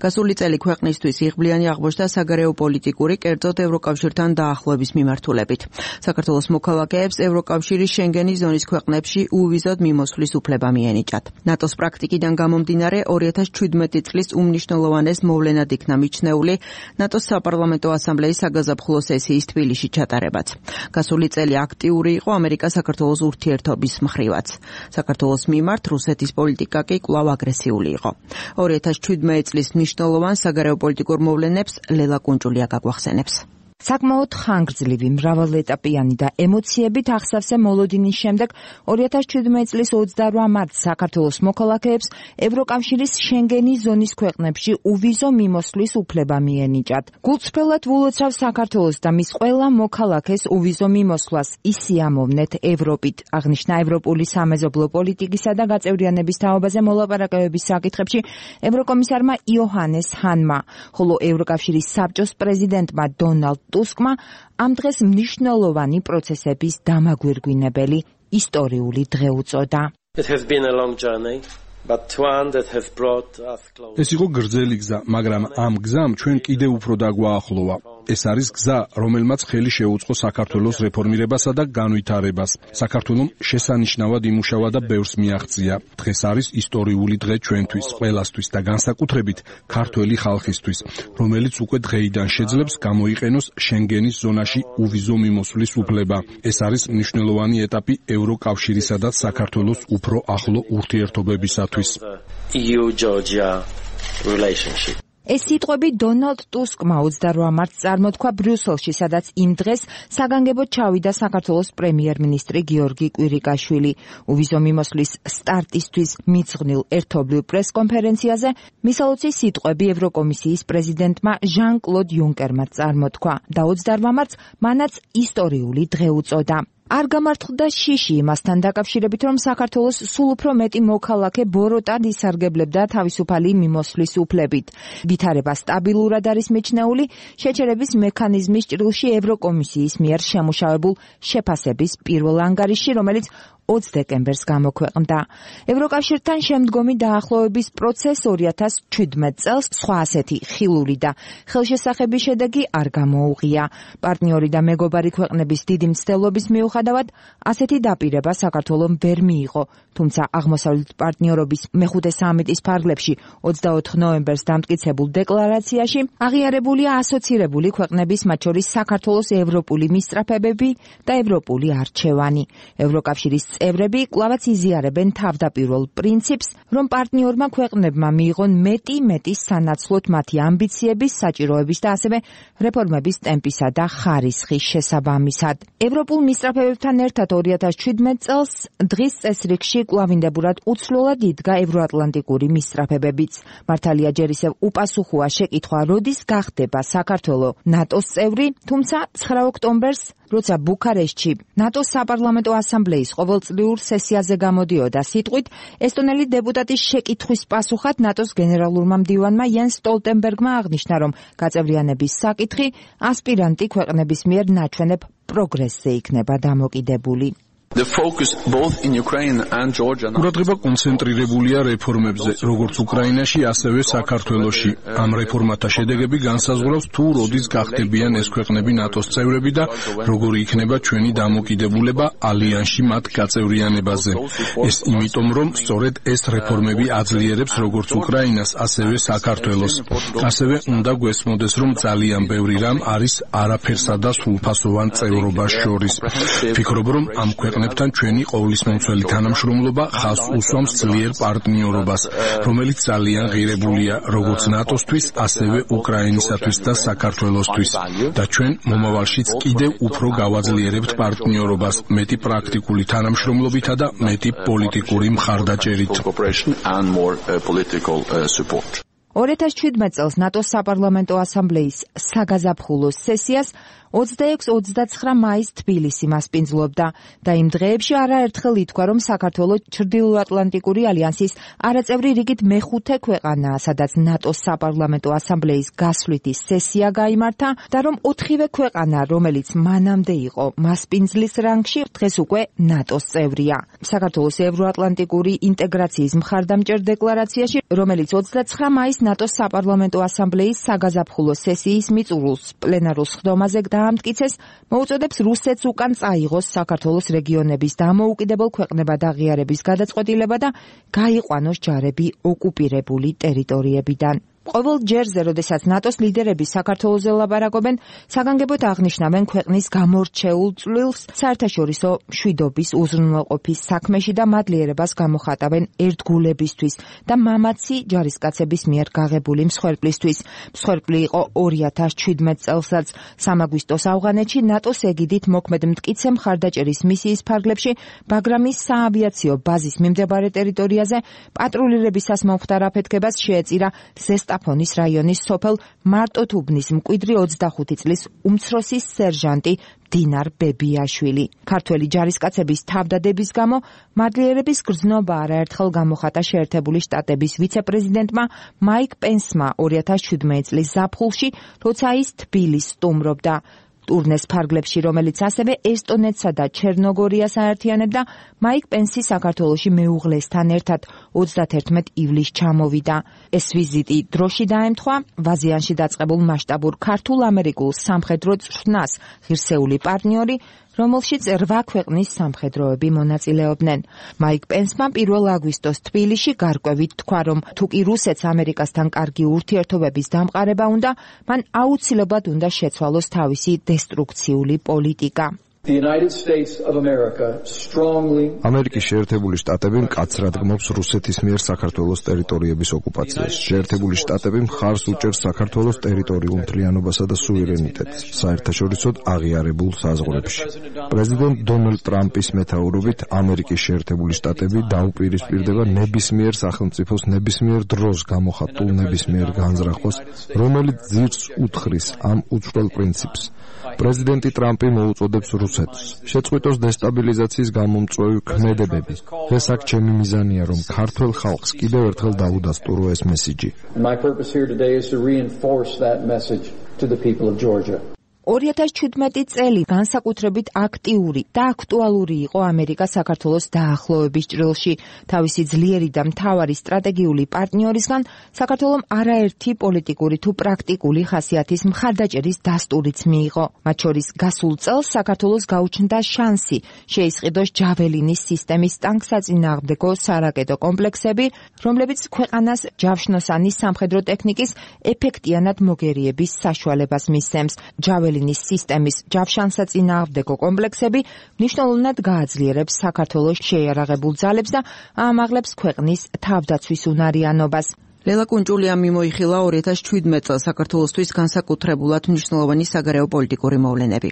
გასული წელი ქვეყნისთვის იღბლიანი აღმოჩნდა საგარეო პოლიტიკური, კერძოდ ევროკავშირთან დაახლოების მიმართულებით. საქართველოს მოქალაქეებს ევროკავშირის შენგენის ზონის ქვეყნებში უვიზოდ მიმოსვლის უფლება მიენიჭათ. ნატოს პრაქტიკიდან გამომდინარე 2017 წლის უმნიშვნელოვანეს მოვლენად იქნა მიჩნეული ნატოს საპარლამენტო ასამბლეის საგაზაფხულო სესიის თბილისში ჩატარებაც. გასული წელი აქტიური იყო ამერიკა-საქართველოს ურთიერთობის მხრივაც. საქართველოს მიმართ რუსეთის პოლიტიკა კი კვლავ აგრესიული იყო. 2017 წლის მნიშვნელოვან საგარეო პოლიტიკურ მოვლენებს ლელა კუნჭულია გაგვახსენებს. საკმაოდ ხანგრძლივი, მრავალეტაპიანი და ემოციებით აღსავსე მოლოდინის შემდეგ 2017 წლის 28 მარტს საქართველოს მოქალაქეებს ევროკავშირის შენგენის ზონის ქვეყნებში უვიზო მიმოსვლის უფლება მიენიჭათ. გულწრფელად ვულოცავ საქართველოს და მის ყველა მოქალაქეს უვიზო მიმოსვლას ისიამოვნეთ ევროპით, აღნიშნა ევროპული სამეზობლო პოლიტიკისა და გაწევრიანების თაობაზე მოლაპარაკებების საკითხებში ევროკომისარმა იოჰანეს ჰანმა, ხოლო ევროკავშირის საბჭოს პრეზიდენტმა დონალდ ტუსკმა ამ დღეს მნიშვნელოვანი პროცესების დამაგვირგვინებელი ისტორიული დღე უწოდა. ეს იყო გრძელი გზა, მაგრამ ამ გზამ ჩვენ კიდევ უფრო დაგვაახლოვა. ეს არის გზა, რომელმაც ხელი შეუწყო საქართველოს რეფორმირებასა და განვითარებას. საქართველომ შესანიშნავად იმუშავა და ბევრს მიაღწია. დღეს არის ისტორიული დღე ჩვენთვის, ყველასთვის და განსაკუთრებით ქართველი ხალხისთვის, რომელიც უკვე დღეიდან შეძლებს გამოიყენოს შენგენის ზონაში უვიზო მიმოსვლის უფლება. ეს არის მნიშვნელოვანი ეტაპი ევროკავშირისა და საქართველოს უფრო ახლო ურთიერთობებისათვის. ეს სიტყვები დონალდ ტუსკმა 28 მარტს წარმოთქვა ბრიუსელში, სადაც იმ დღეს საგანგებოდ ჩავიდა საქართველოს პრემიერ-მინისტრი გიორგი კვირიკაშვილი. უვიზო მიმოსვლის სტარტისთვის მიძღვნილ ერთობლივ პრესკონფერენციაზე მისალოცი სიტყვები ევროკომისიის პრეზიდენტმა ჟან-კლოდ იუნკერმა წარმოთქვა და 28 მარტს მანაც ისტორიული დღე უწოდა. არ გამართლდა შიში იმასთან დაკავშირებით, რომ საქართველოს სულ უფრო მეტი მოქალაქე ბოროტად ისარგებლებდა თავისუფალი მიმოსვლის უფლებით. ვითარება სტაბილურად არის მიჩნეული შეჩერების მექანიზმის ჭრილში ევროკომისიის მიერ შემუშავებულ შეფასების პირველ ანგარიშში, რომელიც 20 დეკემბერს გამოქვეყნდა. ევროკავშირთან შემდგომი დაახლოების პროცესს 2017 წელს სხვა ასეთი ხილული და ხელშესახების შედეგი არ გამოუღია. პარტნიორი და მეგობარი ქვეყნების დიდი მცდელობის მიუხედავად ასეთი დაპირება საქართველომ ვერ მიიღო, თუმცა აღმოსავლეთ პარტნიორობის მეხუთე სამიტის ფარგლებში 24 ნოემბერს დამტკიცებულ დეკლარაციაში აღიარებულია ასოცირებული ქვეყნების, მათ შორის საქართველოს ევროპული მისწრაფებები და ევროპული არჩევანი. ევროკავშირის წევრები კვლავაც იზიარებენ თავდაპირველ პრინციპს, რომ პარტნიორმა ქვეყნებმა მიიღონ მეტი სანაცვლოდ მათი ამბიციების, საჭიროების და ასევე რეფორმების ტემპისა და ხარისხის შესაბამისად. ევროპულ მისწრაფებებთან ერთად 2017 წელს დღის წესრიგში კვლავინდებურად უცვლელად იდგა ევროატლანტიკური მისწრაფებებიც. მართალია ჯერ ისევ უპასუხოა შეკითხვა, როდის გახდება საქართველო ნატოს წევრი, თუმცა 9 ოქტომბერს როცა ბუქარესტში ნატოს საპარლამენტო ასამბლეის ყოველწლიურ სესიაზე გამოდიოდა სიტყვით, ესტონელი დეპუტატის შეკითხვის პასუხად ნატოს გენერალურმა მდივანმა იენს სტოლტენბერგმა აღნიშნა, რომ გაწევრიანების საკითხი ასპირანტი ქვეყნების მიერ ნაჩვენებ პროგრესზე იქნება დამოკიდებული. ყურადღება კონცენტრირებულია რეფორმებზე, როგორც უკრაინაში, ასევე საქართველოში. ამ რეფორმათა შედეგები განსაზღვრავს თუ როდის გახდებიან ეს ქვეყნები ნატოს წევრები და როგორი იქნება ჩვენი დამოკიდებულება ალიანსში მათ გაწევრიანებაზე. ეს იმიტომ, რომ სწორედ ეს რეფორმები აძლიერებს როგორც უკრაინას, ასევე საქართველოს. ასევე უნდა გვესმოდეს, რომ ძალიან ბევრი რამ არის არაფერსა და სრულფასოვან წევრობას შორის. ვფიქრობ, რომ ამ ქვეყნებთან ჩვენი ყოვლისმომცველი თანამშრომლობა ხაზს უსვამს ძლიერ პარტნიორობას, რომელიც ძალიან ღირებულია როგორც ნატოსთვის, ასევე უკრაინისათვის და საქართველოსთვის. და ჩვენ მომავალშიც კიდევ უფრო გავაძლიერებთ პარტნიორობას, მეტი პრაქტიკული თანამშრომლობითა და მეტი პოლიტიკური მხარდაჭერით. 2017 წელს ნატოს საპარლამენტო ასამბლეის საგაზაფხულო სესიას 26-29 მაისს თბილისი მასპინძლობდა და იმ დღეებში არაერთხელ ითქვა, რომ საქართველო ჩრდილოატლანტიკური ალიანსის არაწევრი რიგით მეხუთე ქვეყანაა, სადაც ნატოს საპარლამენტო ასამბლეის გასვლითი სესია გაიმართა და რომ 4-ვე ქვეყანა, რომელიც მანამდე იყო მასპინძლის რანგში, დღეს უკვე ნატოს წევრია. საქართველოს ევროატლანტიკური ინტეგრაციის მხარდამჭერ დეკლარაციაში, რომელიც 29 მაისს ნატოს საპარლამენტო ასამბლეის საგაზაფხულო სესიის მიწურულს პლენარულ სხდომაზე დაამტკიცეს, მოუწოდებს რუსეთს უკან წაიღოს საქართველოს რეგიონების დამოუკიდებელ ქვეყნებად აღიარების გადაწყვეტილება და გაიყვანოს ჯარები ოკუპირებული ტერიტორიებიდან. ყოველ ჯერზე, როდესაც ნატოს ლიდერები საქართველოზე ლაპარაკობენ, საგანგებოდ აღნიშნავენ ქვეყნის გამორჩეულ წვლილს საერთაშორისო მშვიდობის უზრუნველყოფის საქმეში და მადლიერებას გამოხატავენ ერთგულებისთვის და მამაცი ჯარისკაცების მიერ გაღებული მსხვერპლისთვის. მსხვერპლი იყო 2017 წელსაც სამაგვისტოს ავღანეთში ნატოს ეგიდით მოქმედ მტკიცე მხარდაჭერის მისიის ფარგლებში ბაგრამის საავიაციო ბაზის მიმდებარე ტერიტორიაზე პატრულირებისას მომხდარ აფეთქებას შეეწირა ზესტაფონის რაიონის სოფელ მარტოთუბნის მკვიდრი 25 წლის უმცროსი სერჟანტი დინარ ბებიაშვილი. ქართველი ჯარისკაცების თავდადების გამო მადლიერების გრძნობა არაერთხელ გამოხატა შეერთებული შტატების ვიცე-პრეზიდენტმა მაიკ პენსმა 2017 წლის ზაფხულში, როცა ის თბილისს სტუმრობდა. ტურნეს ფარგლებში, რომელიც ასევე ესტონეთსა და ჩერნოგორიას აერთიანებდა, მაიკ პენსი საქართველოში მეუღლესთან ერთად 31 ივლისს ჩამოვიდა. ეს ვიზიტი დროში დაემთხვა ვაზიანში დაწყებულ მასშტაბურ ქართულ-ამერიკულ სამხედრო წვრთნას ღირსეული პარტნიორი, რომელშიც 8 ქვეყნის სამხედროები მონაწილეობდნენ. მაიკ პენსმა 1 აგვისტოს თბილისში გარკვევით თქვა, რომ თუკი რუსეთს ამერიკასთან კარგი ურთიერთობების დამყარება უნდა, მან აუცილებლად უნდა შეცვალოს თავისი დესტრუქციული პოლიტიკა. ამერიკის შეერთებული შტატები მკაცრად გმობს რუსეთის მიერ საქართველოს ტერიტორიების ოკუპაციას. შეერთებული შტატები მხარს უჭერს საქართველოს ტერიტორიულ მთლიანობასა და სუვერენიტეტს საერთაშორისოდ აღიარებულ საზღვრებში. პრეზიდენტ დონალდ ტრამპის მეთაურობით ამერიკის შეერთებული შტატები დაუპირისპირდება ნებისმიერ სახელმწიფოს ნებისმიერ დროს გამოხატულ ნებისმიერ განზრახვას, რომელიც ძირს უთხრის ამ უცვლელ პრინციპს. პრეზიდენტი ტრამპი მოუწოდებს რუსეთს შეწყვიტოს დესტაბილიზაციის გამომწვევი ქმედებები. ეს აქ ჩემი მიზანია, რომ ქართველ ხალხს კიდევ ერთხელ დაუდასტურო ეს მესიჯი. 2017 წელი განსაკუთრებით აქტიური და აქტუალური იყო ამერიკა-საქართველოს დაახლოების ჭრილში. თავისი ძლიერი და მთავარი სტრატეგიული პარტნიორისგან საქართველომ არაერთი პოლიტიკური თუ პრაქტიკული ხასიათის მხარდაჭერის დასტურიც მიიღო. მათ შორის გასულ წელს საქართველოს გაუჩნდა შანსი შეისყიდოს ჯაველინის სისტემის ტანკსაწინააღმდეგო სარაკეტო კომპლექსები, რომლებიც ქვეყანას ჯავშნოსანი სამხედრო ტექნიკის ეფექტიანად მოგერიების საშუალებას მისცემს. ჯაველინის სისტემის ჯავშანსაწინააღმდეგო კომპლექსები მნიშვნელოვნად გააძლიერებს საქართველოს შეიარაღებულ ძალებს და აამაღლებს ქვეყნის თავდაცვის უნარიანობას. ლელა კუნჭულიამ მიმოიხილა 2017 წელს საქართველოსთვის განსაკუთრებულად მნიშვნელოვანი საგარეო პოლიტიკური მოვლენები.